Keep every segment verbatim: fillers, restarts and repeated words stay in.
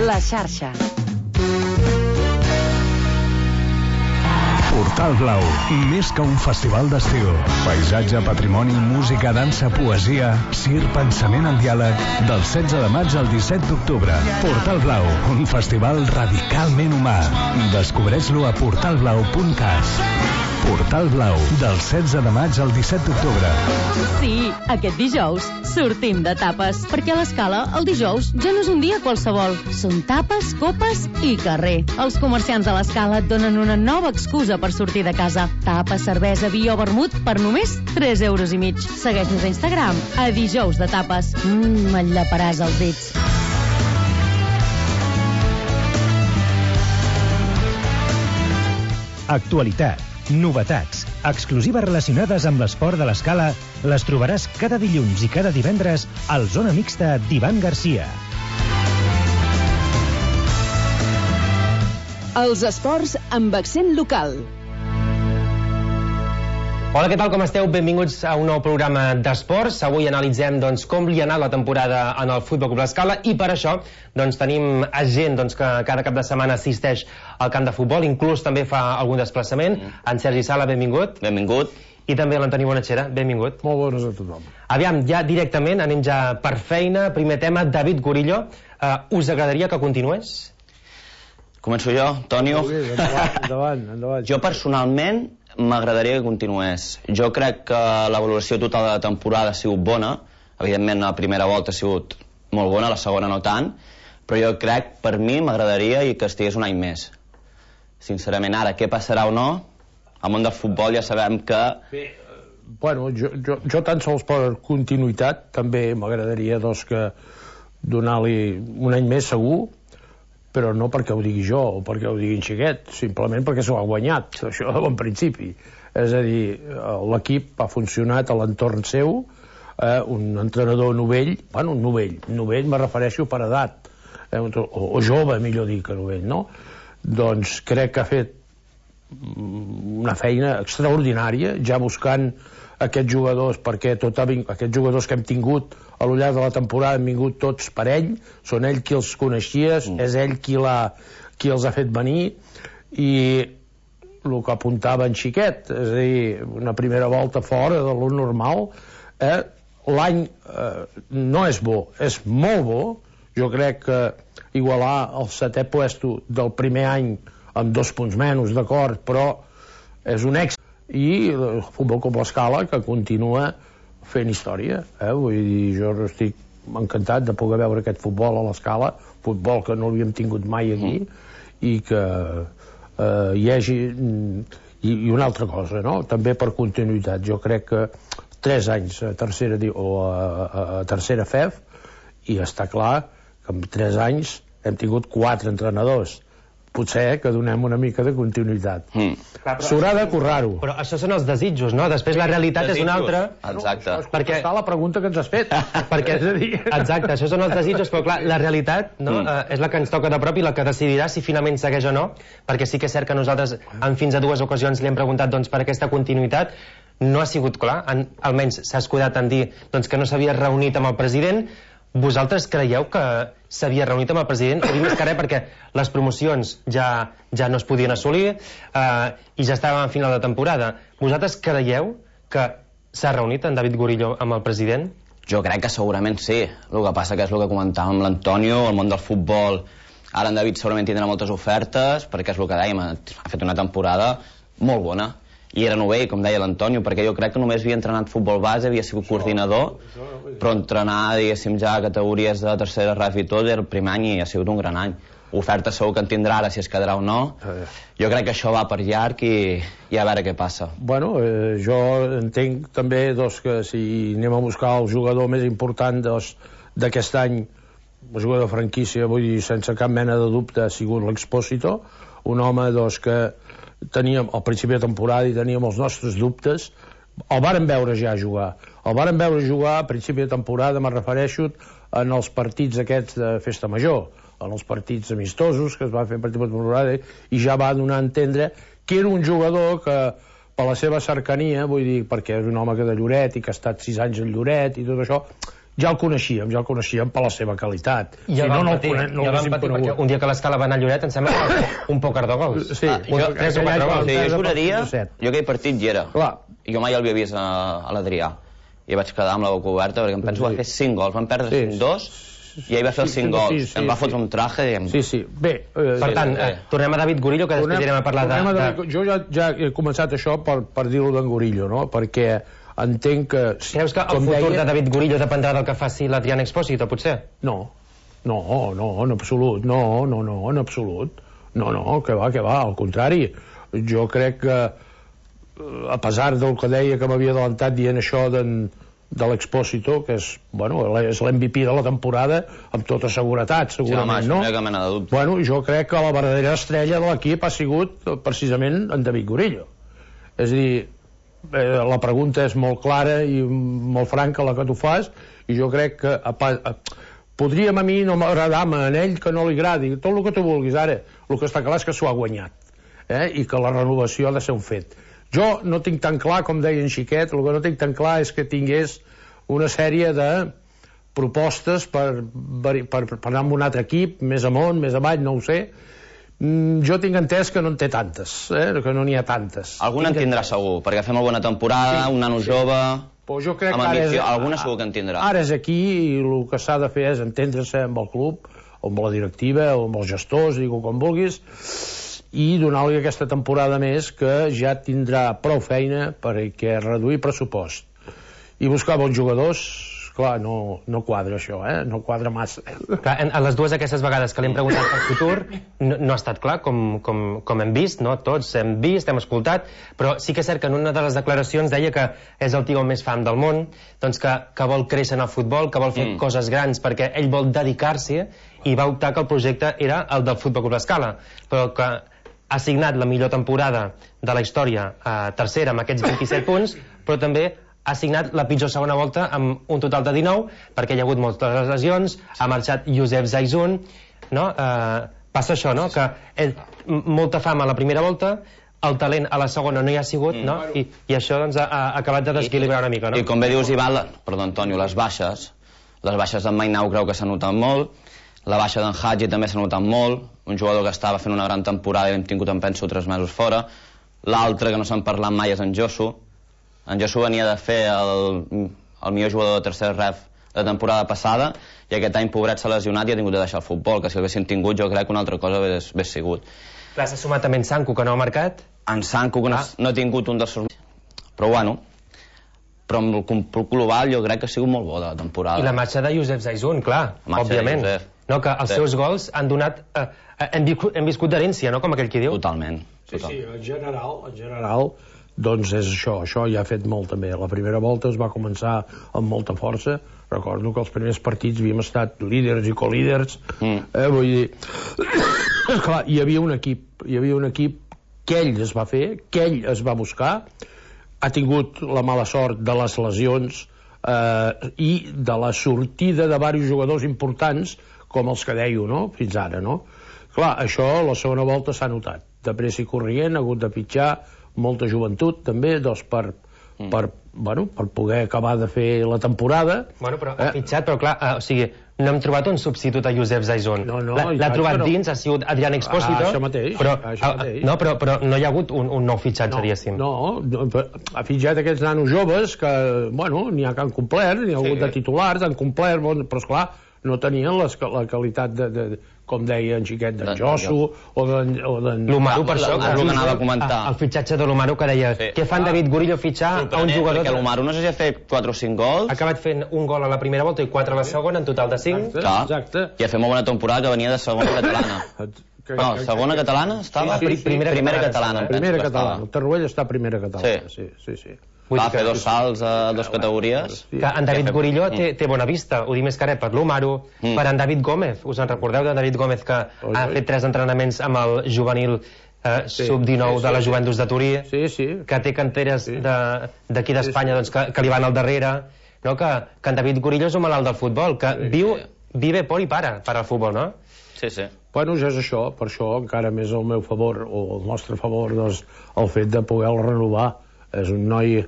La xarxa. Portal Blau, més que un festival d'estiu. Paisatge, patrimoni, música, dansa, poesia, cir, pensament en diàleg. Del setze de maig al disset d'octubre. Portal Blau, un festival radicalment humà. Descobreix-lo a portal blau punt cat. Portal Blau, del setze de maig al disset d'octubre. Sí, aquest dijous sortim de tapes, perquè a l'Escala el dijous ja no és un dia qualsevol. Són tapes, copes i carrer. Els comerciants de l'Escala et donen una nova excusa per sortir de casa. Tapa, cervesa, vi o vermut per només tres euros i mig. Segueix-nos a Instagram, a dijous de tapes. Mmm, et llaparàs els dits. Actualitat, novetats, exclusives relacionades amb l'esport de l'Escala les trobaràs cada dilluns i cada divendres al Zona Mixta d'Ivan Garcia. Els esports amb accent local. Hola, què tal, com esteu? Benvinguts a un nou programa d'esports. Avui analitzem doncs, com li ha anat la temporada en el Futbol Club L'Escala i per això doncs, tenim gent doncs, que cada cap de setmana assisteix al camp de futbol, inclús també fa algun desplaçament. En Sergi Sala, benvingut. Benvingut. I també l'Antoni Bonachera, benvingut. Molt bones a tothom. Aviam, ja directament, anem ja per feina. Primer tema, David Gorillo. Uh, us agradaria que continués? Començo jo, Tonio. Endavant, endavant, endavant. Jo personalment m'agradaria que continués. Jo crec que la valoració total de la temporada ha sigut bona. Evidentment, la primera volta ha sigut molt bona, la segona no tant, però jo crec, per mi, m'agradaria i que estigués un any més. Sincerament, ara, què passarà o no? Al món del futbol ja sabem que... Bé, bueno, jo, jo, jo tan sols per continuïtat també m'agradaria doncs, que donar-li un any més segur, però no perquè ho digui jo o perquè ho digui en Xiquet, simplement perquè s'ho ha guanyat, això de bon principi. És a dir, l'equip ha funcionat a l'entorn seu, eh, un entrenador novell, bueno, un novell, novell me refereixo per edat, eh, o, o jove, millor dir que novell, no? Doncs crec que ha fet una feina extraordinària, ja buscant aquests jugadors, perquè tot ha vingut, aquests jugadors que hem tingut a lo llarg de la temporada han vingut tots per ell, són ell qui els coneixia, mm. és ell qui, qui els ha fet venir, i el que apuntava en Xiquet, és a dir, una primera volta fora de lo normal, eh? L'any eh, no és bo, és molt bo. Jo crec que igualar el setè puesto del primer any amb dos punts menys, d'acord, però és un èxit. I el Futbol Club L'Escala, que continua fent història, eh? Vull dir, jo estic encantat de poder veure aquest futbol a l'Escala, futbol que no l'havíem tingut mai aquí, mm. i que eh, hi hagi... I, i una altra cosa, no? També per continuïtat. Jo crec que tres anys a tercera, o a, a, a tercera F E F, i està clar que en tres anys hem tingut quatre entrenadors. Potser que donem una mica de continuïtat. Mm. S'haurà de currar-ho. Però això són els desitjos, no? Després la realitat desitjos. És una altra. Exacte. No, és perquè... està la pregunta que ens has fet. Perquè, exacte, això són els desitjos, però clar, la realitat no, mm. eh, és la que ens toca de prop i la que decidirà si finalment segueix o no, perquè sí que és cert que nosaltres en fins a dues ocasions li hem preguntat doncs, per aquesta continuïtat. No ha sigut clar, en, almenys s'ha escudat en dir doncs, que no s'havia reunit amb el president. Vosaltres creieu que s'havia reunit amb el president? Ho dic més que res perquè les promocions ja, ja no es podien assolir eh, i ja estàvem a final de temporada. Vosaltres creieu que s'ha reunit en David Gorillo amb el president? Jo crec que segurament sí. El que passa que és el que comentàvem amb l'Antonio, el món del futbol. Ara en David segurament tindrà moltes ofertes, perquè és el que dèiem, ha fet una temporada molt bona. I era novell, com deia l'Antonio, perquè jo crec que només havia entrenat futbol base, havia sigut coordinador, però entrenar, diguéssim, ja a categories de tercera ref i tot, era el primer any i ha sigut un gran any. Oferta segur que en tindrà ara, si es quedarà o no. Jo crec que això va per llarg i, i a veure què passa. Bueno, eh, jo entenc també doncs, que si anem a buscar el jugador més important d'aquest any, el jugador de franquícia, vull dir, sense cap mena de dubte, ha sigut l'Expósito, un home doncs, que teníem al principi de temporada i teníem els nostres dubtes. El vàrem veure ja jugar. El vàrem veure jugar a principi de temporada, me refereixo en els partits aquests de festa major, en els partits amistosos que es va fer a principi de temporada, i ja va donar a entendre que era un jugador que per la seva cercania, vull dir, perquè és un home que de Lloret i que ha estat sis anys a Lloret i tot això, ja el coneixíem, ja el coneixíem per la seva qualitat. Ja si vam no, no, patir, el, no ja el vam patir conegut. perquè un dia que l'Escala va anar a Lloret em sembla que un poc de gols. Sí, Ah, jo, un- tres o aquell quatre any gols. quan Jo perd juraria, el set. jo aquell partit hi era. Clar. Jo mai el havia vist a, a l'Adrià. I vaig quedar amb la boca oberta perquè em penso que va fer cinc gols. Van perdre Sí. cinc dos i ell va fer els Sí, cinc sí, gols. sí, sí, em va sí. fotre un traje i... Em... Sí, sí. Bé, eh, Per tant, eh, tornem a David Gorillo, que després anirem a parlar de... tornem a de... David- Jo ja, ja he començat això per, per dir-ho d'en Gorillo, no? Perquè entenc que... Creus que el com futur deia- de David Gorillo dependrà del que faci l'Adrián Expósito, potser? No, no, no, en absolut, no, no, no, en absolut. No, no, que va, que va, al contrari. Jo crec que, eh, a pesar del que deia que m'havia adelantat dient això d'en de l'Expósito, que és, bueno, és l'M V P de la temporada, amb tota seguretat, segurament, sí, home, no? no hi ha cap mena de dubte. Bueno, jo crec que la verdadera estrella de l'equip ha sigut eh, precisament en David Gorillo. És a dir, eh, la pregunta és molt clara i molt franca la que tu fas, i jo crec que a, pa- a, podríem a mi no m'agradar-me en ell que no li agradi, tot el que tu vulguis ara, el que està clar és que s'ho ha guanyat, eh? I que la renovació ha de ser un fet. Jo no tinc tan clar, com deia en Xiquet, el que no tinc tan clar és que tingués una sèrie de propostes per, per, per, per anar amb un altre equip, més amunt, més avall, no ho sé. Mm, jo tinc entès que no en té tantes, eh? Que no n'hi ha tantes. Algun en Tinc tindrà segur, perquè fa molt bona temporada, Sí. un nano jove... Però jo crec amb que ara és, ambició, alguna segur que en tindrà. Ara és aquí i el que s'ha de fer és entendre-se amb el club, o amb la directiva, o amb els gestors, digue-ho com vulguis, i donar-li aquesta temporada més que ja tindrà prou feina perquè reduir pressupost i buscar bons jugadors. Clar, no, no quadra això, eh? No quadra massa. Clar, en, en les dues aquestes vegades que li hem preguntat pel futur no, no ha estat clar, com, com, com hem vist, no? Tots hem vist, hem escoltat, però sí que és cert que en una de les declaracions deia que és el tio més fan del món, doncs que, que vol créixer en el futbol, que vol fer mm. coses grans perquè ell vol dedicar-s'hi, i va optar que el projecte era el del Futbol Club Escala, però que ha signat la millor temporada de la història, eh, tercera amb aquests vint-i-set punts, però també ha signat la pitjor segona volta amb un total de dinou, perquè hi ha hagut moltes lesions, ha marxat Josep Zaizun, no? Eh, passa això, no? Que ell, m- molta fama a la primera volta, el talent a la segona no hi ha sigut, no? I, i això doncs, ha, ha acabat de desequilibrar una mica, no? I com bé dius, Ivan, la... perdó, Antonio, les baixes, les baixes d'en Mainau creu que s'ha notat molt, la baixa d'en Hadji també s'ha notat molt, un jugador que estava fent una gran temporada i l'hem tingut, em penso, tres mesos fora. L'altre que no s'han parlat mai és en Josu. En Josu venia de fer el, el millor jugador de tercer ref de temporada passada i aquest any, pobret, s'ha lesionat i ha tingut de deixar el futbol, que si l'haguessin tingut jo crec que una altra cosa hagués, hagués sigut. Clar, s'ha sumat també en Sanku, que no ha marcat. En Sanku, que no, Ah. no ha tingut un dels seus... Però bueno, però amb el compl- global jo crec que ha sigut molt bo de la temporada. I la marxa de Josep Zaizun, clar, La marxa de òbviament. Josep. No, que els Sí. seus gols han donat... Eh, eh, hem, viscut, hem viscut d'herència, no?, com aquell qui diu. Totalment. Sí, total. sí, en general, en general, doncs és això, això ja ha fet molt també. La primera volta es va començar amb molta força, recordo que els primers partits havíem estat líders i colíders, Mm. eh, vull dir, clar, hi havia un equip, hi havia un equip que ell es va fer, que ell es va buscar, ha tingut la mala sort de les lesions eh, i de la sortida de diversos jugadors importants, com els que dèieu, no?, fins ara, no? Clar, això la segona volta s'ha notat. De pressa i corrient, ha hagut de pitjar molta joventut, també, doncs, per, mm. per, bueno, per poder acabar de fer la temporada. Bueno, però ha fitxat, però clar, eh, o sigui, no hem trobat un substitut a Josep Zaizun. No, no, L'ha i l'ha tant trobat que no. dins, ha sigut Adrián Expósito. Ah, això mateix, però, això ah, mateix. No, però, però no hi ha hagut un, un nou fitxatge, diguéssim. No, no, ha fitxat aquests nanos joves que, bueno, n'hi ha que han complert, n'hi ha Sí. hagut de titulars, han complert, bon, però esclar, no tenien les, la qualitat de, de, com deia en Xiquet, d'en D'en Josu o d'en... o d'en- L'Umaru, per Ah, això, el que anava a comentar. El fitxatge de l'Umaru, que deia, Sí. què fan David Gorillo fitxar a un jugador... Perquè l'Umaru no sé si ha fet quatre o cinc gols. Ha acabat fent un gol a la primera volta i quatre a la segona, en total de cinc. Exacte, Clar. exacte. I ha fet molt bona temporada, que venia de segona catalana. Que- No, que- segona catalana estava? Sí, sí, sí. Primera, primera catalana, catalana. em penso Primera que estava. catalana. El Tarruell està a primera catalana. Sí, sí, sí. Vull Va dir que- fer dos salts a dues categories. Sí. Que en David Que- Gorillo té, té bona vista, ho dic més caret per l'Umaru, Mm. per en David Gómez, us en recordeu de David Gómez que Oi, ha oi. fet tres entrenaments amb el juvenil eh, Sí, sub dinou sí, de la sí, Juventus de Turí, Sí, sí. que té canteres Sí. de- d'aquí d'Espanya Sí, sí. doncs, que, que li van al darrere, no? que, que en David Gorillo és un malalt del futbol, que Sí. viu, vive por i para per al futbol, no? Sí, sí. Bueno, ja és això, per això encara més al meu favor, o al nostre favor, doncs, el fet de poder-lo renovar. És un noi,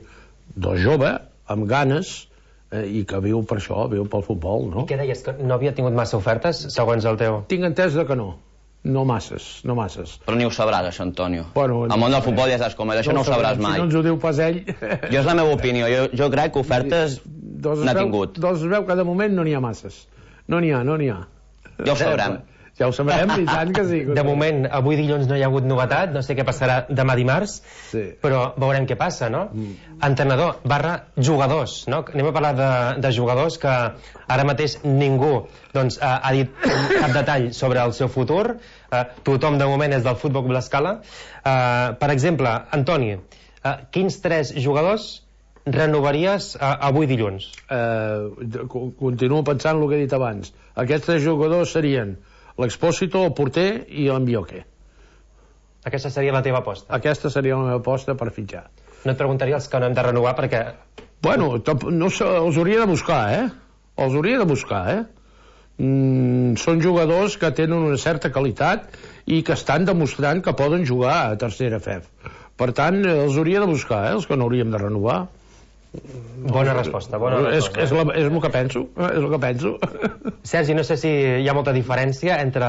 doncs, jove, amb ganes, i que viu per això, viu pel futbol, no? I què deies, que no havia tingut massa ofertes, segons el teu? Tinc entès de que no. No masses, no masses. Però ni ho sabràs, això, Antonio. Bueno, el món del futbol ja saps com és, això no, no ho sabràs mai. Si no ens ho diu pas ell... Jo és la meva opinió, jo, jo crec que ofertes n'ha tingut. Doncs es veu que de moment no n'hi ha masses. No n'hi ha, no n'hi ha. Ja ho sabrem. Ja ho sabrem, i tant que sí. De moment, avui dilluns no hi ha hagut novetat, no sé què passarà demà dimarts, sí. Però veurem què passa, no? Mm. Entrenador barra jugadors, no? Anem a parlar de, de jugadors que ara mateix ningú doncs, ha, ha dit cap detall sobre el seu futur. Uh, tothom de moment és del Futbol Club L'Escala. Uh, per exemple, Antoni, uh, quins tres jugadors renovaries uh, avui dilluns? Uh, continuo pensant el que he dit abans. Aquests tres jugadors serien l'Expósito, el porter i l'Ambioque. Aquesta seria la teva aposta? Aquesta seria la meva aposta per fitxar. No et preguntaria els que no hem de renovar perquè... Bueno, no sé, els hauria de buscar, eh? Els hauria de buscar, eh? Mm, són jugadors que tenen una certa qualitat i que estan demostrant que poden jugar a tercera F E F. Per tant, els hauria de buscar, eh? Els que no hauríem de renovar. Bona resposta, bona resposta. És, és, la, és el que penso, és el que penso. Sergi, no sé si hi ha molta diferència entre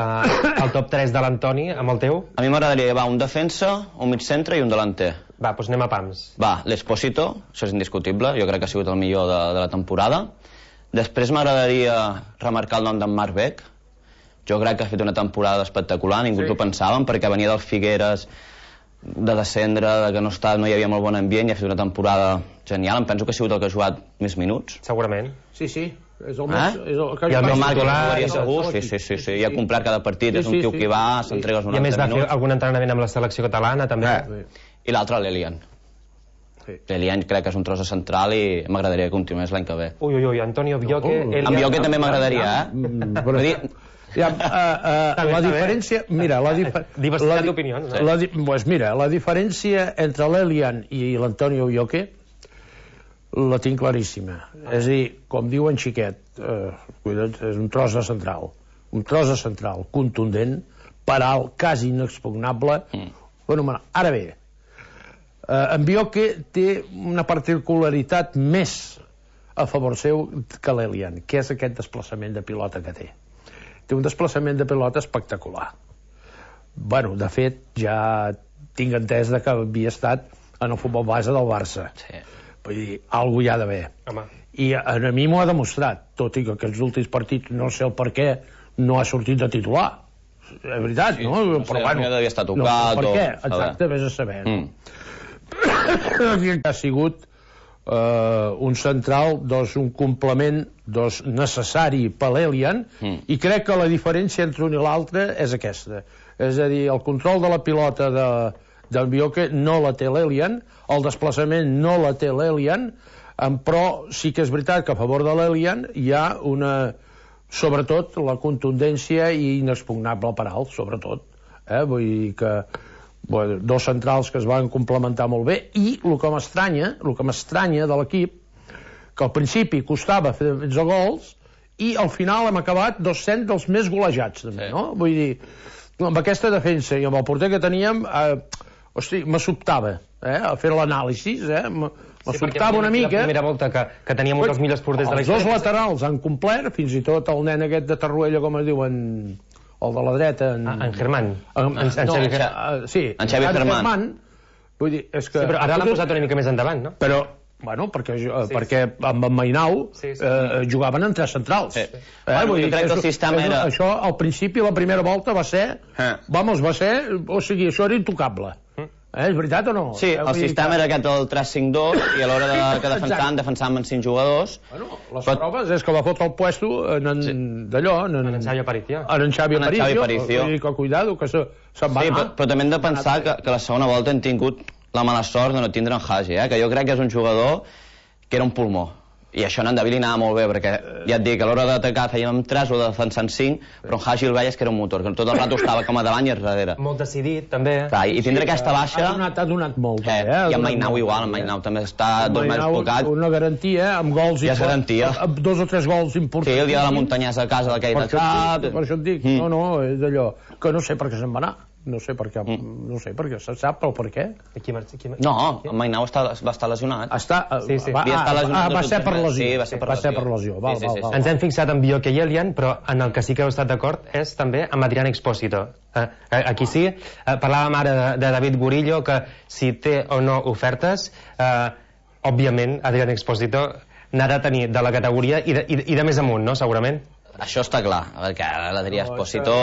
el top tres de l'Antoni amb el teu. A mi m'agradaria llevar un defensa, un mig centre i un delanter. Va, doncs anem a pams. Va, l'Expósito, això és indiscutible, jo crec que ha sigut el millor de, de la temporada. Després m'agradaria remarcar el nom d'en Marc Beck. Jo crec que ha fet una temporada espectacular, ningú sí. T'ho pensàvem, perquè venia del Figueres, de descendre, de que no, està, no hi havia molt bon ambient, i ha fet una temporada genial. Em penso que ha sigut el que ha jugat més minuts. Segurament. Sí, sí. És el més... Eh? És el que I el meu Marc jugaria segur, sí, sí, sí, sí. I ha complert cada partit, sí, és un tio sí, que va, s'entrega els noranta minuts. I a més va fer algun entrenament amb la selecció catalana, també. Eh. I l'altre, l'Elian. Sí. L'Elian crec que és un tros de central i m'agradaria que continués l'any que ve. Ui, ui, ui, Antonio Bioque... Uh, Elian... En Bioque també m'agradaria, eh? Però... Ja, uh, uh, la diferència... Mira, la diferència... Diversitat d'opinions. La, di pues mira, la diferència entre l'Elian i l'Antonio Bioque la tinc claríssima. Ah. És a dir, com diu en Xiquet, uh, és un tros de central. Un tros de central contundent, per alt, quasi inexpugnable. Mm. Bueno, ara bé, uh, en Bioque té una particularitat més a favor seu que l'Elian, que és aquest desplaçament de pilota que té. Té un desplaçament de pilota espectacular. Bueno, de fet, ja tinc entès que havia estat en el futbol base del Barça. Sí. Vull dir, alguna hi ha d'haver. I a mi m'ho ha demostrat, tot i que aquests últims partits no sé el per què no ha sortit de titular. És veritat, sí, no? no? Però, sé, bueno, devia estar tocat. No, per o... què? Exacte, vés a saber. Mm. No? Ha sigut Uh, un central, doncs, un complement doncs, necessari per l'Elian, mm. i crec que la diferència entre un i l'altre és aquesta. És a dir, el control de la pilota de, del Bioque no la té l'Elian, el desplaçament no la té l'Elian, però sí que és veritat que a favor de l'Elian hi ha una, sobretot la contundència i inexpugnable per alt, sobretot. Eh? Vull dir que bueno, dos centrals que es van complementar molt bé, i el que m'estranya el que m'estranya de l'equip, que al principi costava fer dotze gols i al final hem acabat dos-cents dels més golejats també, sí. No? Vull dir, amb aquesta defensa i amb el porter que teníem, eh, hosti, me sobtava eh, a fer l'anàlisi, eh, me, me sí, sobtava una mica. La primera volta que, que teníem un dels millors porters de la història. Els dos laterals han complert, fins i tot el nen aquest de Tarruella, com es diuen, el de la dreta, en, ah, en Germán, en, en, en, no, Xavi, en, sí, en Xavi Germán. Germán. Vull dir, és que... Sí, però ara l'han posat una mica més endavant, no? Però, bueno, perquè, sí, perquè amb en Mainau sí, sí. Eh, jugaven en tres centrals. Sí. Eh, bueno, vull dir, crec que el sistema era... Això, al principi, la primera volta va ser... Eh. Vamos, va ser... O sigui, això era intocable. Mm. Eh, és veritat o no? Sí, el sistema que... era aquest del tres cinc dos i a l'hora de, que defensaven, defensaven amb cinc jugadors. Bueno, les Però... proves és que va fotre el puesto en, en, sí. d'allò, en, en, en Xavi Aparicio. En, en Xavi Aparicio. Xavi Aparicio. I que cuidado, que se, se'n va sí, anar. Però, però també hem de pensar que, que la segona volta hem tingut la mala sort de no tindre en Hagi, eh? Que jo crec que és un jugador que era un pulmó. I això en Endavili anava molt bé, perquè ja et dic, a l'hora d'atacar fèiem tres o de defensar en cinc, però en Hagi el veies que era un motor, que tot el rato estava com a davant i a darrere. Molt decidit, també. Clar, i tindre sí, aquesta baixa... Ha donat, ha donat molt, eh, eh? I en Mainau igual, en Mainau també està dos mesos tocat. Una garantia, amb gols... Ja és garantia. Amb dos o tres gols importants. Sí, el dia de la muntanyesa a casa d'aquell de cap... Per això et dic, mm. no, no, és d'allò, que no sé per què se'n va anar. no sé per què, mm. no sé per què, se sap el per què? Qui mar... Qui mar... No, el Mainau està, va estar lesionat. Està, sí, sí. Va, ah, lesionat ah, va ser per lesió. Sí, va ser per va lesió. Ser per lesió. Val, sí, sí, val, sí, val, sí. Ens hem fixat en Bioque i Elian, però en el que sí que heu estat d'acord és també amb Adrián Expósito. Eh, aquí sí, eh, parlàvem ara de, de David Gurillo, que si té o no ofertes, eh, òbviament Adrián Expósito n'ha de tenir de la categoria i de, i, i de més amunt, no?, segurament. Això està clar, perquè l'Adrià Expósito...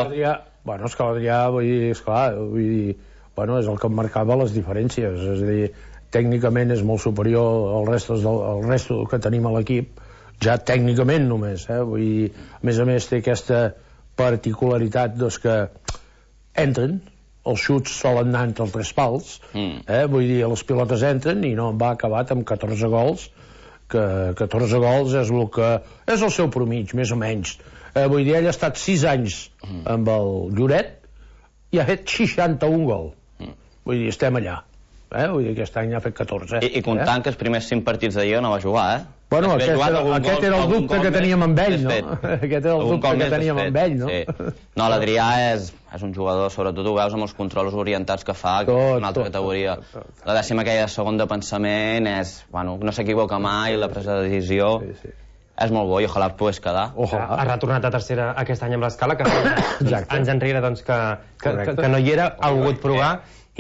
Bueno, és que l'Adrià, vull dir, esclar, vull dir, bueno, és el que marcava les diferències, és a dir, tècnicament és molt superior al resto, al resto que tenim a l'equip, ja tècnicament només, eh? Vull dir, a més a més té aquesta particularitat, doncs, que entren, els xuts solen anar entre els tres pals, mm. eh? Vull dir, les pilotes entren i no va acabat amb catorze gols, que catorze gols és el que és el seu promig, més o menys. Eh, vull dir, ell ha estat sis anys mm. amb el Lloret i ha fet seixanta-un gol. Mm. Vull dir, estem allà. Eh? Vull dir, aquest any ha fet catorze. I, i comptant eh? que els primers cinc partits de Lliga no va jugar, eh? Bueno, aquest, era, aquest gol, era el dubte que teníem amb ell, no? Aquest era el dubte que teníem amb ell, no? Sí. No, l'Adrià és, és un jugador, sobretot ho veus amb els controls orientats que fa, que tot, és una altra tot, categoria. Tot, tot, tot. La dècima aquella segon de pensament és, bueno, no s'equivoca mai, la presa de decisió... Sí, sí. És molt bo i ojalà pogués quedar. Ojalà. Ha retornat a tercera aquest any amb l'Escala, que anys enrere doncs, que, que, que, que no hi era, ha volgut provar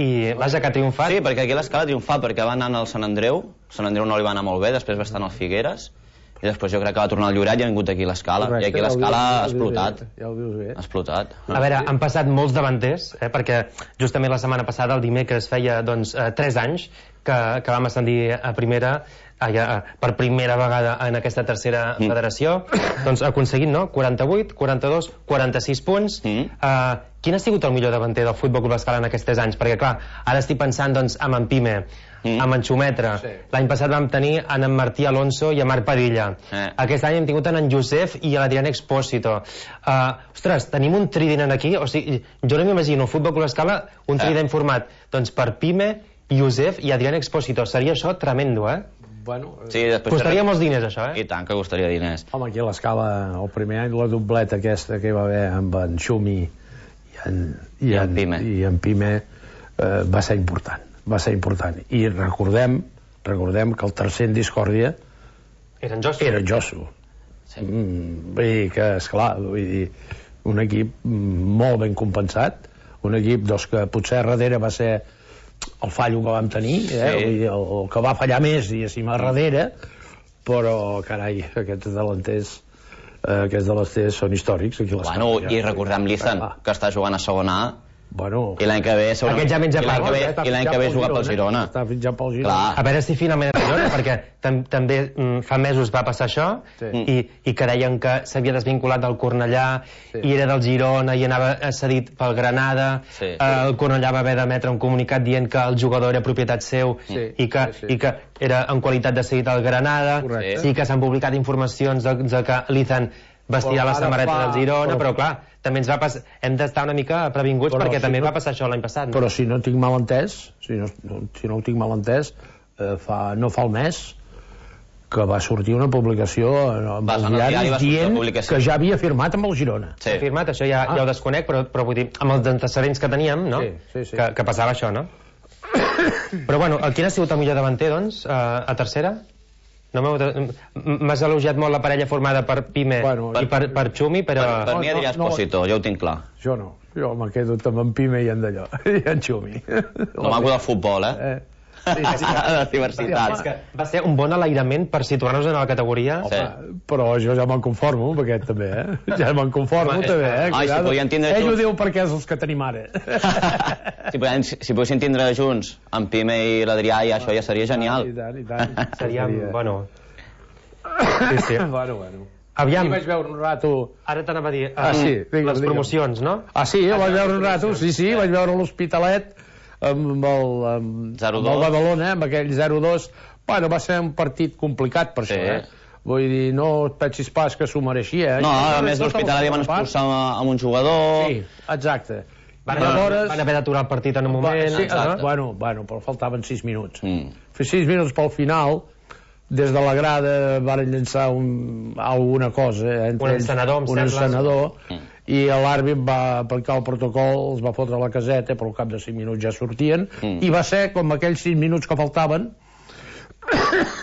i vaja que ha triomfat. Sí, perquè aquí l'Escala ha triomfat perquè va anar al Sant Andreu, Sant Andreu no li va anar molt bé, després va estar en el Figueres i després jo crec que va tornar al Lloret i ha vingut aquí a l'Escala. I aquí l'Escala ha explotat. Ja ho dius bé. Ha explotat. A veure, han passat molts davanters, eh, perquè justament la setmana passada, el dimecres, feia doncs, eh, tres anys que, que vam ascendir a primera, a, a, per primera vegada en aquesta tercera mm. federació, doncs aconseguint, no?, quaranta-vuit, quaranta-dos, quaranta-sis punts. Mm. Uh, quin ha sigut el millor davanter del Futbol Club L'Escala en aquests tres anys? Perquè, clar, ara estic pensant doncs, amb en Pime, mm. amb en Xumetra. Sí. L'any passat vam tenir en en Martí Alonso i en Marc Padilla. Eh. Aquest any hem tingut en en Josep i l'Adrián Expósito. Uh, ostres, tenim un trident aquí, o sigui, jo no m'imagino Futbol Club L'Escala, un trident eh. format doncs, per Pime, Josep i Adrián Expósito. Seria això tremendo, eh? Bueno, sí, costaria molts diners, això, eh? I tant que costaria diners. Home, aquí a l'Escala, el primer any, la dobleta aquesta que hi va haver amb en Xumi i en, i I en, en Pime, i en Pime eh, va ser important. Va ser important. I recordem, recordem que el tercer en discòrdia era en Josu. Era en Josu. Sí. Mm, vull dir que, esclar, vull dir, un equip molt ben compensat, un equip doncs, que potser darrere va ser el fallo que vam tenir, eh? Sí. Vull dir, el, el que va fallar més, diguéssim, a darrere, però, carai, aquests delanters, eh, aquests delanters són històrics. Aquí bueno, ja. I recordem l'Izan, que està jugant a segona A, bueno, i l'any que ve segurament... Aquest ja menja I l'any que ve, i l'any que ve juga pel Girona. Està fitxant pel Girona. Clar. A veure si finalment el Girona, perquè tam també mm, fa mesos va passar això, sí. i, i que deien que s'havia desvinculat del Cornellà, sí. i era del Girona i anava cedit pel Granada. Sí. Eh, el Cornellà va haver d'emetre un comunicat dient que el jugador era propietat seu, sí. i, que, sí, sí. i que era en qualitat de cedit al Granada. Correcte. Sí que s'han publicat informacions de, de que l'Izan vestirà la samarreta del Girona, però, però clar, també ens va passar, hem d'estar una mica previnguts però perquè si també no, va passar això l'any passat. No? Però si no tinc mal entès, si no, si no ho tinc mal entès, eh, fa, no fa el mes que va sortir una publicació amb els diaris dient que ja havia firmat amb el Girona. Sí. Ha firmat, això ja, ah. ja ho desconec, però, però vull dir, amb els antecedents que teníem, no? Sí, sí, sí. Que, que passava això, no? Però bueno, quin ha sigut el millor davanter, doncs, a, a tercera? No m'has elogiat molt la parella formada per Pime bueno, i per, per Xumi, però... Per, per mi Adrià Expósito, no, no, jo ho tinc clar. Jo no, jo me quedo amb en Pime i en d'allò, i en Xumi. El maco del futbol, eh? eh. Sí, sí, de diversitat. Sí, va ser un bon alairament per situar-nos en la categoria. Home, sí. Però jo ja me'n conformo amb aquest també, eh? Ja me'n conformo home, també, eh? Ai, si podien tindre ell ho diu perquè és els que tenim ara. Si, podien, si poguessin tindre junts en Pime i l'Adrià, ja, això ja seria genial. I tant, i tant. Seria, bueno... Sí, sí. Bueno, bueno. Aviam. I vaig veure un rato... Ara t'anava a dir, ah, sí, digue'm, les promocions, no? Ah, sí, vaig veure un rato, sí, sí, vaig veure l'Hospitalet amb el, amb, amb el Badalona, amb aquell zero dos. Bueno, va ser un partit complicat per sí. això, eh? Vull dir, no et pensis pas que s'ho mereixia, eh? No, a més l'Hospitalet van expulsar amb un jugador... Sí, exacte. Van, Aleshores... van haver d'aturar el partit en un moment... Sí, exacte. Bueno, bueno, però faltaven sis minuts. Mm. Fer sis minuts pel final... Des de la grada van llançar un, alguna cosa, eh, un encenedor, un encenedor, i l'àrbit va aplicar el protocol, els va fotre a la caseta, però al cap de cinc minuts ja sortien, mm. i va ser com aquells cinc minuts que faltaven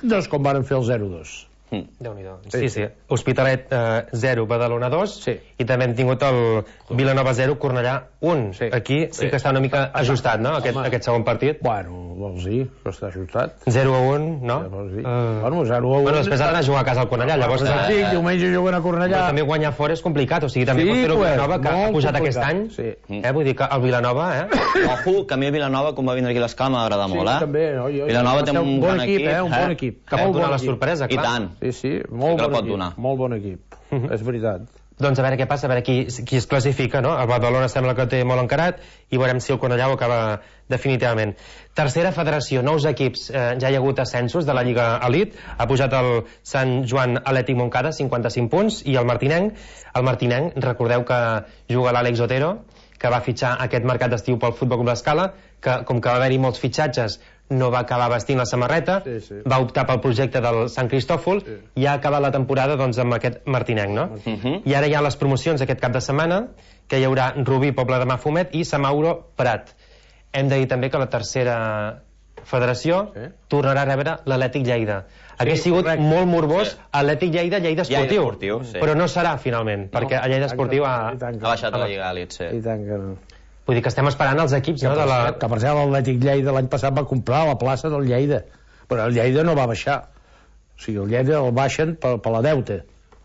doncs com varen fer el zero dos. Mm. Déu-n'hi-do. Sí, sí. Hospitalet eh, zero, Badalona dos, sí. I també hem tingut el Vilanova zero, Cornellà un. Sí. Aquí sí, sí que està una mica ajustat, no?, aquest, aquest segon partit. Bueno, vols dir que està ajustat? zero a un, no? Ja, uh... bueno, zero a un... Bueno, després ha d'anar a jugar a casa al Cornellà, llavors... Ah, sí, diumenge juguen a Cornellà. Però també guanyar fora és complicat, o sigui, també sí, pot fer el Vilanova, que ha pujat aquest any. Sí. Eh, vull dir que el Vilanova, eh? Ojo, que a mi el Vilanova, com va vindre aquí a l'escala, m'agrada molt, eh? Sí, també. Vilanova té un bon equip, eh? Un bon equip. Que pot donar la sorpresa, clar. I tant. Sí, sí, molt bon equip. Molt bon equip, és veritat. Doncs a veure què passa, a veure qui, qui es classifica, no? El Badalona sembla que té molt encarat i veurem si el Cornellà ho acaba definitivament. Tercera federació, nous equips. Eh, ja hi ha hagut ascensos de la Lliga Elite. Ha pujat el Sant Joan Atlètic Montcada, cinquanta-cinc punts, i el Martinenc. El Martinenc, recordeu que juga l'Àlex Otero, que va fitxar aquest mercat d'estiu pel Futbol Club L'Escala, que com que va haver-hi molts fitxatges no va acabar vestint la samarreta, sí, sí. Va optar pel projecte del Sant Cristòfol, sí. I ha acabat la temporada doncs, amb aquest Martinenc, no? Uh-huh. I ara hi ha les promocions aquest cap de setmana, que hi haurà Rubí, Pobla de Mafumet i Samauro, Prat. Hem de dir també que la tercera federació sí. Tornarà a rebre l'Atlètic Lleida. Sí, hauria sigut correcte. Molt morbós sí. Atlètic Lleida, Lleida Esportiu, Lleida Esportiu sí. Però no serà finalment, no, perquè a Lleida Esportiu ha, ha baixat a la Lliga Elite, sí. I tant que no. Vull dir que estem esperant els equips, que no? Per de la... cert, que per cert l'Atlètic Lleida l'any passat va comprar la plaça del Lleida, però el Lleida no va baixar. O sigui, el Lleida el baixen per, per la deuta,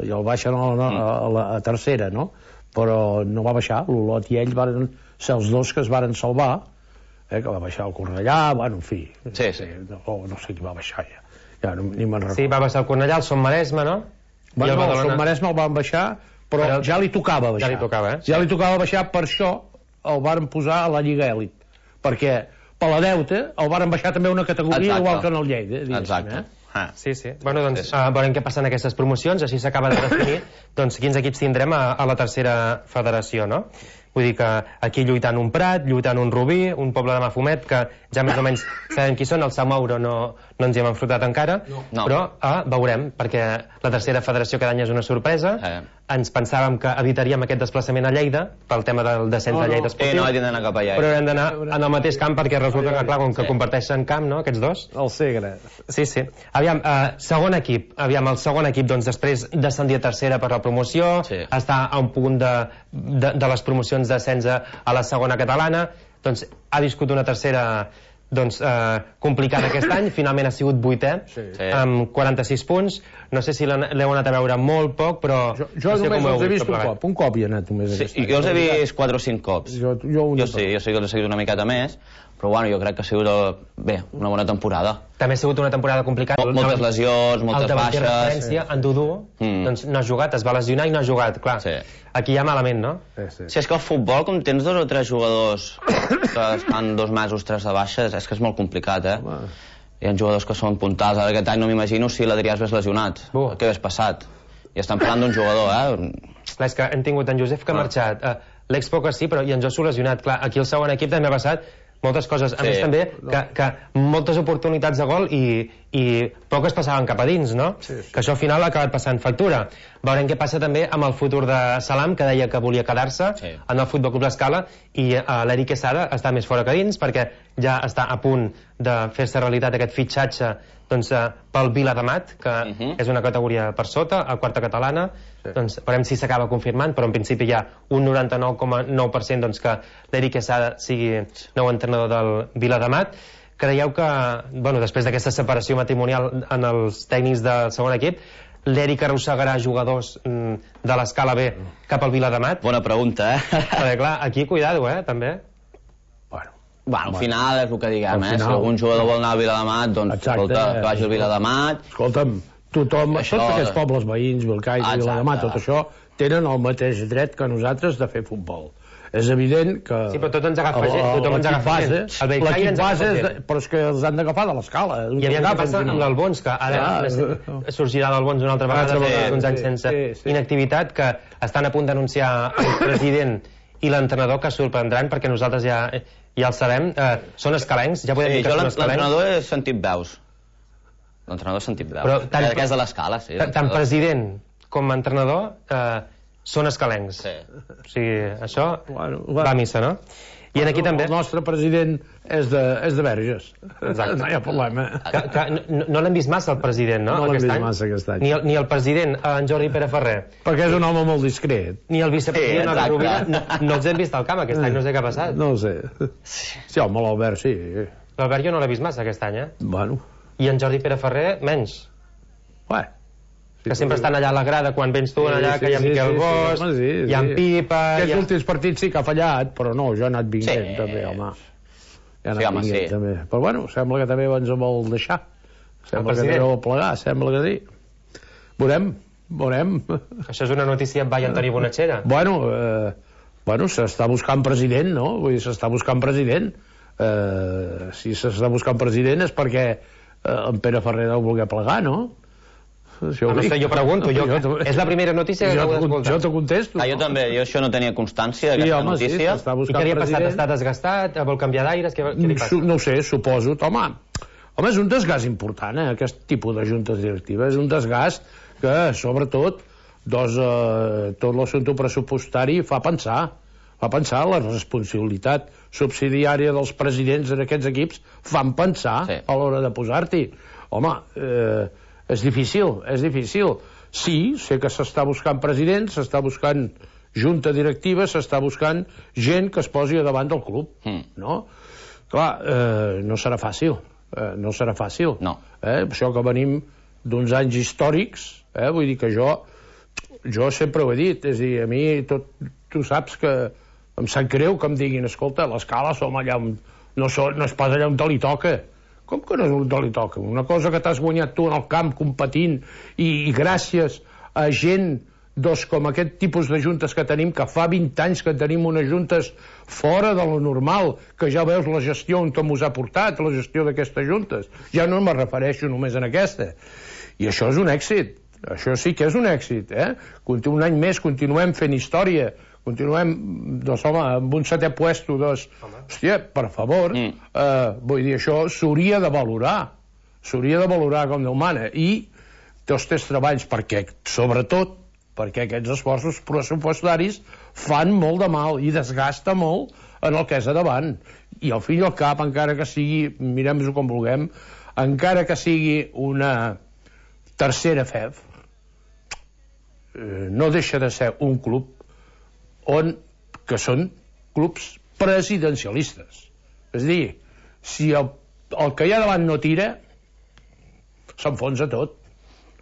i el baixen a la, a la a tercera, no? Però no va baixar. L'Olot i ell van ser els dos que es varen salvar, eh, que va baixar el Cornellà, bueno, en fi. Sí, sí. No, no sé qui va baixar ja. Ja no, ni me'n recordo. Sí, va baixar el Cornellà, el Son Maresme, no? Bueno, el, el Son Maresme el van baixar, però, però ja li tocava baixar. Ja li tocava, eh? Ja li tocava baixar, per això el varen posar a la Lliga Elit, perquè per la deuta el varen baixar també una categoria. Exacte. Igual que en el Lleida. Exacte. Eh? Ah. Sí, sí. Bueno, doncs uh, veurem què passa en aquestes promocions, així s'acaba de definir doncs, quins equips tindrem a, a la tercera federació, no? Vull dir que aquí lluitant un Prat, lluitant un Rubí, un Poble de Mafumet, que ja més o menys sabem qui són, el Samauro no, no ens hi hem enfrontat encara, no. Però uh, veurem, perquè la tercera federació cada any és una sorpresa. Eh. Ens pensàvem que evitaríem aquest desplaçament a Lleida pel tema del descens no, no. de Lleida Esportiu, eh, no, d'anar cap allà, però hem d'anar en el mateix camp perquè resulta que, clar, com que sí. Comparteixen camp, no?, aquests dos. El Segre. Sí, sí. Aviam, uh, segon equip. Aviam, el segon equip, doncs, després descendir a tercera per la promoció, sí. Està a un punt de, de, de les promocions d'ascens a la segona catalana, doncs ha viscut una tercera doncs, eh, complicada aquest any, finalment ha sigut vuitè, sí. Amb quaranta-sis punts. No sé si l'heu anat a veure molt poc, però... Jo, jo no sé només els he vist un cop, un cop hi he anat només. Sí, jo els he vist quatre o cinc cops. Jo, jo, jo sí, jo sí que els he seguit una miqueta més, però bueno, jo crec que ha sigut, bé, una bona temporada. També ha sigut una temporada complicada. Mol, moltes lesions, moltes baixes. El referència, sí. En Dudu, mm. doncs no ha jugat, es va lesionar i no ha jugat, clar. Sí. Aquí hi ha malament, no? Sí, sí. Si és que el futbol, com tens dos o tres jugadors que estan dos mesos, tres de baixes, és que és molt complicat, eh? Home. Hi ha jugadors que són puntals. Ara aquest any no m'imagino si l'Adrià es ves lesionat. Uh. Què hagués passat? I estan parlant d'un jugador, eh? Clar, és que hem tingut en Josep que ha marxat, uh, l'Expo que sí, però i en Josu lesionat. Clar, aquí el segon equip també ha passat moltes coses, a sí. Més també que, que moltes oportunitats de gol i, i poques passaven cap a dins, no? Sí, sí. Que això al final ha acabat passant factura. Veurem què passa també amb el futur de Salam, que deia que volia quedar-se sí. En el Futbol Club L'Escala, i uh, l'Eric Quesada està més fora que dins perquè ja està a punt de fer-se realitat aquest fitxatge doncs, uh, pel Viladamat, que uh -huh. és una categoria per sota, a quarta catalana. Sí. Doncs veurem si s'acaba confirmant, però en principi hi ha un noranta-nou coma nou per cent doncs, que l'Eric Quesada sigui nou entrenador del Viladamat. Creieu que, bueno, després d'aquesta separació matrimonial en els tècnics del segon equip, l'Eric arrossegarà jugadors mm, de l'Escala B cap al Viladamat? Bona pregunta, eh? Perquè, clar, aquí cuidado, eh, també. Bueno, bueno, al final és el que diguem, eh? Si algun jugador vol anar al Viladamat, doncs, exacte, escolta, que vagi al Viladamat. Escolta'm, tothom, això, tots aquests pobles veïns, Vilcai, ah, Viladamat, tot això, tenen el mateix dret que nosaltres de fer futbol. És evident que... Sí, però tot ens agafa gent, tothom ens agafa gent. L'equip base, però és que els han d'agafar de l'escala. I aviam què passa amb l'Albons, que ara sorgirà l'Albons una altra vegada després d'uns anys sense inactivitat, que estan a punt d'anunciar el president i l'entrenador, que sorprendran, perquè nosaltres ja ja el sabem, són escalencs, ja podem dir que són escalencs. L'entrenador he sentit veus. L'entrenador ha sentit veus. Que és de l'Escala, sí. Tant president com entrenador són escalencs. Sí. O sigui, això Bueno, va bueno. a missa, no? I aquí també... El nostre president és de, és de Verges. Exacte. No hi ha problema. Que, que no no l'hem vist massa, el president, no? No l'hem aquest vist any? massa aquest any. Ni el, ni el president, en Jordi Pere Ferrer, Perquè és un home molt discret. ni el vicepresident, Sí, Albert Rovira, no, exacte. no els hem vist al camp aquest any, no sé què ha passat. No ho sé. Sí, home, l'Albert sí. L'Albert jo no l'he vist massa aquest any, eh? Bueno, I en Jordi Pere Ferrer, menys. Bé. Que sempre estan allà a la grada quan vens tu, allà, que hi ha Miquel Bosch, home, sí, hi ha en sí. Pipa... Aquests hi ha... últims partits sí que ha fallat, però no, jo he anat vinguent, Sí. també, home. Ja ha Sí, anat home, vinguent, sí. també. Però bueno, sembla que també ens vol deixar. Sembla que president. també vol plegar, sembla que sí. Veurem, veurem. Això és una notícia amb Vai Antoni Bonachera. Bueno, eh, bueno s'està buscant president, no? Vull dir, s'està buscant president. Eh, si s'està buscant president és perquè eh, en Pere Ferrer deu voler plegar, no? Això Ah, no dic. sé, jo pregunto, jo, Jo te- és la primera notícia que jo, acabo te- d'escoltar. jo te contesto. Ah, jo també, jo això no tenia constància Sí, d'aquesta home, sí, notícia. s'està I buscant què li ha passat? president. Està desgastat? Vol canviar d'aires? Què, què li Su- passa? No ho sé, suposo. Home, home, és un desgast important, eh, aquest tipus de juntes directives. És un desgast que, sobretot, doncs, eh, tot l'assumpte pressupostari fa pensar. Fa pensar la responsabilitat subsidiària dels presidents en aquests equips fan pensar Sí. a l'hora de posar-t'hi. Home, eh, és difícil, és difícil. Sí, sé que s'està buscant president, s'està buscant junta directiva, s'està buscant gent que es posi a davant del club, Mm. no? Clar, eh, no serà fàcil, eh, no serà fàcil. No. Eh? Això que venim d'uns anys històrics, eh? Vull dir que jo, jo sempre ho he dit, és a dir, a mi tot, tu saps que em sap greu que em diguin, escolta, l'escala som allà on, no, so, no és pas allà on te li toca. Com que no és on te li toca? Una cosa que t'has guanyat tu en el camp competint i, i gràcies a gent doncs, com aquest tipus de juntes que tenim, que fa vint anys que tenim unes juntes fora de lo normal, que ja veus la gestió on mos ha portat, la gestió d'aquestes juntes. Ja no me refereixo només en aquesta. I això és un èxit. Això sí que és un èxit, eh? Un any més continuem fent història, continuem, doncs, home, amb un setè puesto, doncs, hòstia, per favor, Mm. eh, vull dir, això s'hauria de valorar, s'hauria de valorar com Déu mana, i tots els treballs, perquè, sobretot, perquè aquests esforços pressupostaris fan molt de mal i desgasta molt en el que és a davant. I al fi i al cap, encara que sigui, mirem-ho com vulguem, encara que sigui una tercera F E F, eh, no deixa de ser un club on, que són clubs presidencialistes. És a dir, si el, el que hi ha davant no tira, s'enfonsa tot.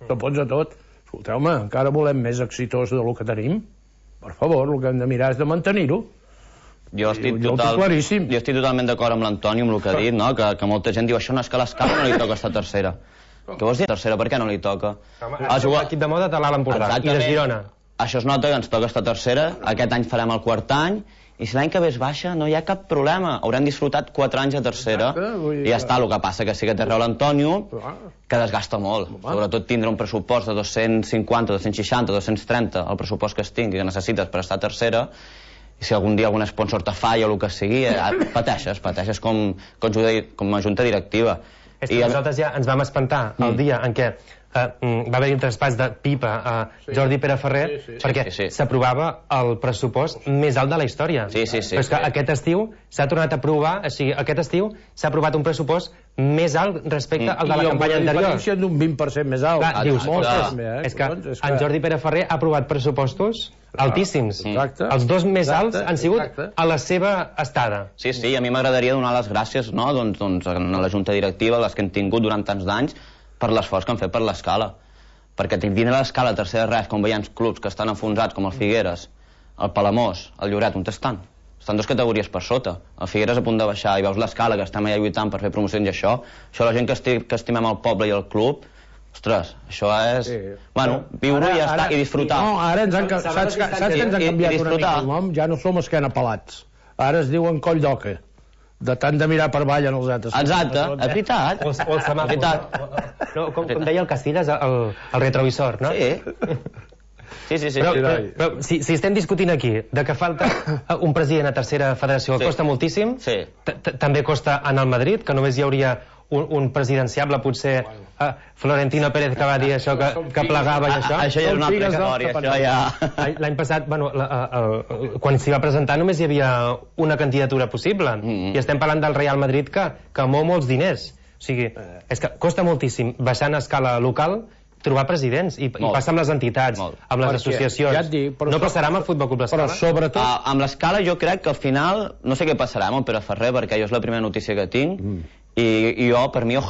S'enfonsa tot. Escolteu-me, encara volem més exitós del que tenim. Per favor, el que hem de mirar és de mantenir-ho. Jo estic, Jo ho total, tinc claríssim. jo estic totalment d'acord amb l'Antoni, amb el que ha dit, no? que, que molta gent diu això no és que a l'escala no li toca estar tercera. Què vols dir tercera? Per què no li toca? Home, Ah, jugar- L'equip de moda de l'Alt Empordà i de Exactament. Girona. Això es nota que ens toca estar tercera, aquest any farem el quart any, i si l'any que ve es baixa no hi ha cap problema, haurem disfrutat quatre anys a tercera. Exacte, vull dir I ja que- està, el que passa que sí que té raó l'Antonio, Clar. que desgasta molt, sobretot tindre un pressupost de dos-cents cinquanta, dos-cents seixanta, dos-cents trenta, el pressupost que es tingui que necessites per estar a tercera, i si algun dia algun sponsor te falla o el que sigui, eh, pateixes, pateixes com, com, junta- com a junta directiva. És que I a- nosaltres ja ens vam espantar el Mm. dia en què eh, mm, va haver-hi un traspàs de Pipa a Jordi Pere Ferrer, Sí, sí. perquè Sí, sí. s'aprovava el pressupost més alt de la història. Sí, sí, sí, Però és que sí. aquest estiu s'ha tornat a aprovar, o sigui, aquest estiu s'ha aprovat un pressupost més alt respecte Mm. al de la I amb campanya una anterior. diferència d'un vint per cent més alt. Clar, Ah, dius, molt ostres, també, eh, és, que collons, és en Jordi Pere Ferrer ha aprovat pressupostos altíssims. Exacte. Els dos més Exacte, alts han sigut exacte. a la seva estada. Sí, sí, a mi m'agradaria donar les gràcies, no?, doncs, doncs a la Junta Directiva, les que hem tingut durant tants d'anys, per l'esforç que han fet per l'escala. Perquè tenint a l'escala a tercera res, com veiem clubs que estan enfonsats, com el Figueres, el Palamós, el Lloret, on estan? Estan dues categories per sota. El Figueres a punt de baixar, i veus l'escala que estem allà lluitant per fer promocions i això, això la gent que, esti que estimem el poble i el club, ostres, això és... Sí. Bueno, viure i ja està, i disfrutar. No, ara ens han, ca- saps, que, saps que ens han I- i canviat una mica disfrutar. el nom? Ja no som esquena pelats. Ara es diuen coll d'oca. De tant de mirar per avall en els altres. Exacte, és veritat. O, el- o el És semàfor. veritat. No, com, com deia el Casillas, el, el retrovisor, no? Sí. Sí, sí, sí. Però, sí. però, però si, si estem discutint aquí de que falta un president a tercera federació, Sí. costa moltíssim, Sí. t- t- també costa en el Madrid, que només hi hauria un, un presidenciable, potser uh, Florentino Pérez, que va dir això, que, que plegava i això. Això ja és una altra història, això ja... L'any passat, bueno, la, uh, uh, quan s'hi va presentar només hi havia una candidatura possible, mm-hmm. i estem parlant del Real Madrid que, que mou molts diners. O sigui, és que costa moltíssim baixar a escala local trobar presidents, i, i passa amb les entitats, Molt. amb les Perquè, associacions. Ja dic, no passarà amb el Futbol Club L'Escala? Però sobretot... Uh, amb l'Escala jo crec que al final, no sé què passarà amb el Pere Ferrer, perquè jo és la primera notícia que tinc, mm. i, i jo, per mi, ojalà